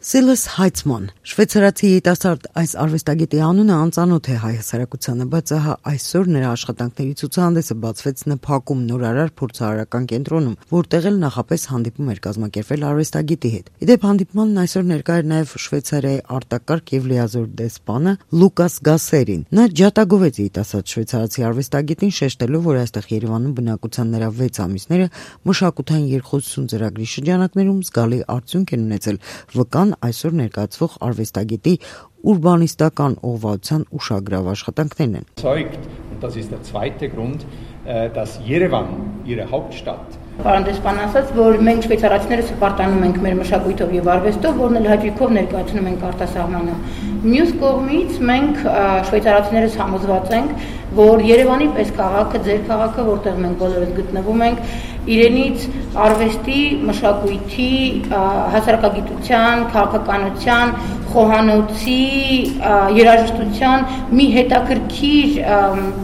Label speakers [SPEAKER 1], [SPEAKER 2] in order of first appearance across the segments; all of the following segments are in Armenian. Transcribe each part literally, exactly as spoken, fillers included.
[SPEAKER 1] Silas Heitzmann, շվեյցարացի երիտասարդ այս արվեստագետի անունը անծանոթ է հայ հասարակությանը, բայց ահա այսօր նրա աշխատանքների ցուցահանդեսը բացվեց ՆՓԱԿ-ում նորարար փորձարարական կենտրոնում, որտեղ էլ նախապես հանդիպում էր կազմակերպվել արվեստագետի հետ։ Իդեպ հանդիպմանն այսօր ներկա էր նաև Շվեյցարիայի արտակարգ եւ լիազոր դեսպանը Լուկաս Գասերին։ Նա ջատագովեց երիտասարդ շվեյցարացի արվեստագետին, շեշտելով, որ այստեղ Երևանում բնակության նրա վեց ամիսները մշակութային երկխոսություն ծրագրի շրջանակներում զգալի արդյունք են ունեցել վկան այսօր ներկայացվող արվեստագետի ուրբանիստական օղվածության ուշագրավ աշխատանքներն են։
[SPEAKER 2] Und das ist der zweite Grund, dass Yerevan, ihre Hauptstadt,
[SPEAKER 3] Պարոն դեսպան ասաց, որ մենք շվեյցարացիները սպարտանում ենք մեր մշակույթով եւ արվեստով, որն էլ հաճույքով ներկայացնում ենք արտասահմանը։ Մյուս կողմից մենք շվեյցարացիներս համոզված ենք, որ Երևանի պես քաղաքը, ձեր քաղաքը, որտեղ մենք բոլորս գտնվում ենք, իրենից արվեստի, մշակույթի, հասարակագիտության, քաղաքականության, խոհանոցի, երաժշտության մի հետաքրքիր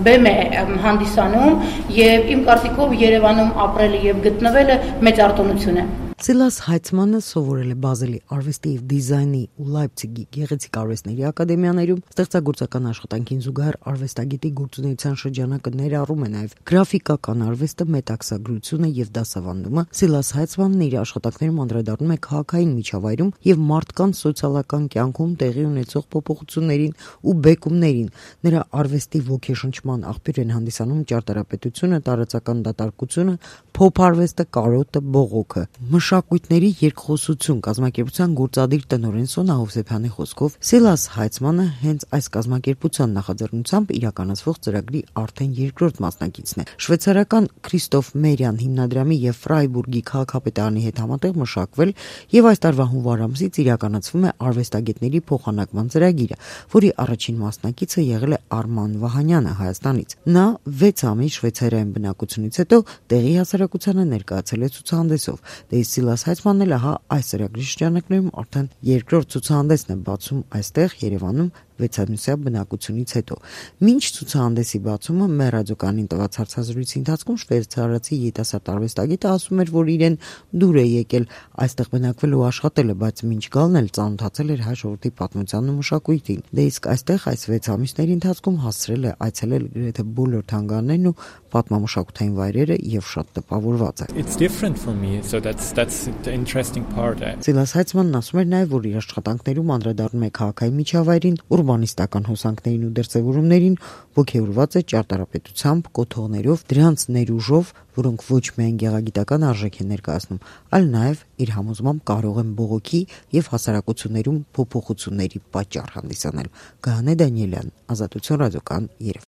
[SPEAKER 3] բեմ է հանդիսանում եւ իմ կարծիքով Երևանում ապրելը եւ գտնվելը մեծ արտոնություն է։
[SPEAKER 1] Silas Heitzmann-ը սովորել է Բազելի արվեստի եւ դիզայնի ու Լայպցիգի գեղեցիկ արվեստների ակադեմիաներում, ստեղծագործական աշխատանքին զուգահեռ արվեստագետի գործունեության շրջանակը ներառում է նաեւ գրաֆիկական արվեստը, մետաքսագրությունը եւ դասավանդումը։ Silas Heitzmann-ն իր աշխատանքներում անդրադառնում է քաղաքային միջավայրում եւ մարդկանց սոցիալական կյանքում տեղի ունեցող փոփոխություններին ու բեկումներին։ Նրա արվեստի ոգեշնչման աղբյուր են հանդիսանում ճարտարապետությունը, տարածական դատարկությունը, փոփ-արվեստը, կարոտը, բողոքը։ Մշակույթների երկխոսություն կազմակերպության գործադիր տնօրեն Սոնա Հովսեփյանի խոսքով Silas Heitzmann-ը հենց այս կազմակերպության նախաձեռնությամբ իրականացվող ծրագրի արդեն երկրորդ մասնակիցն է։ Շվեյցարական Քրիստոֆ Մերյան հիմնադրամի եւ Ֆրայբուրգի քաղաքապետարանի հետ համատեղ մշակվել եւ այս տարվա հունվար ամսից իրականացվում է արվեստագետների փոխանակման ծրագիրը, որի առաջին մասնակիցը եղել է Արման Վահանյանը Հայաստանից։ Նա վեց ամիս Շվեյցարիայում բնակությունից հետո տեղի հասարակությանը ներկայացել է ցուցահանդեսով։ Silas Heitzmann-ն էլ ահա այս ծրագրի շրջանակներում արդեն երկրորդ ցուցահանդեսն է բացում այստեղ Երևանում վեցամյուսյա բնակությունից հետո։ Մինչ ցուցահանդեսի բացումը մեր ռադիոկայանին տված հարցազրույցի ընթացքում շվեյցարացի երիտասարդ արվեստագետը ասում էր, որ իրեն դուր է եկել այստեղ բնակվել ու աշխատելը, բայց մինչ գալն էլ ծանոթացել էր հայ ժողովրդի պատմությանն ու մշակույթին։ Դե իսկ այստեղ այս վեց ամիսների ընթացքում հասցրել է այցելել գրեթե բոլոր թանգարաններն ու պատմամշակութային վայրերը եւ շատ տպավորված է։
[SPEAKER 4] It's different for me, so that's that's the interesting part.
[SPEAKER 1] Silas Heitzmann-ն ասում էր նաեւ, որ իր աշխատանքներում անդրադառնում է քաղաքային միջավայրին, ուրբանիստական հոսանքներին ու դրսևորումներին, ոգեորված է ճարտարապետությամբ, կոթողներով, դրանց ներուժով, որոնք ոչ միայն գեղագիտական արժեք են ներկայացնում, այլ նաեւ իր համոզմամբ կարող են բողոքի եւ հասարակություններում փոփոխությունների պատճառ հանդիսանել։ Գահանե Դանիելյան, Ազատություն ռադիոկայան, Երևան։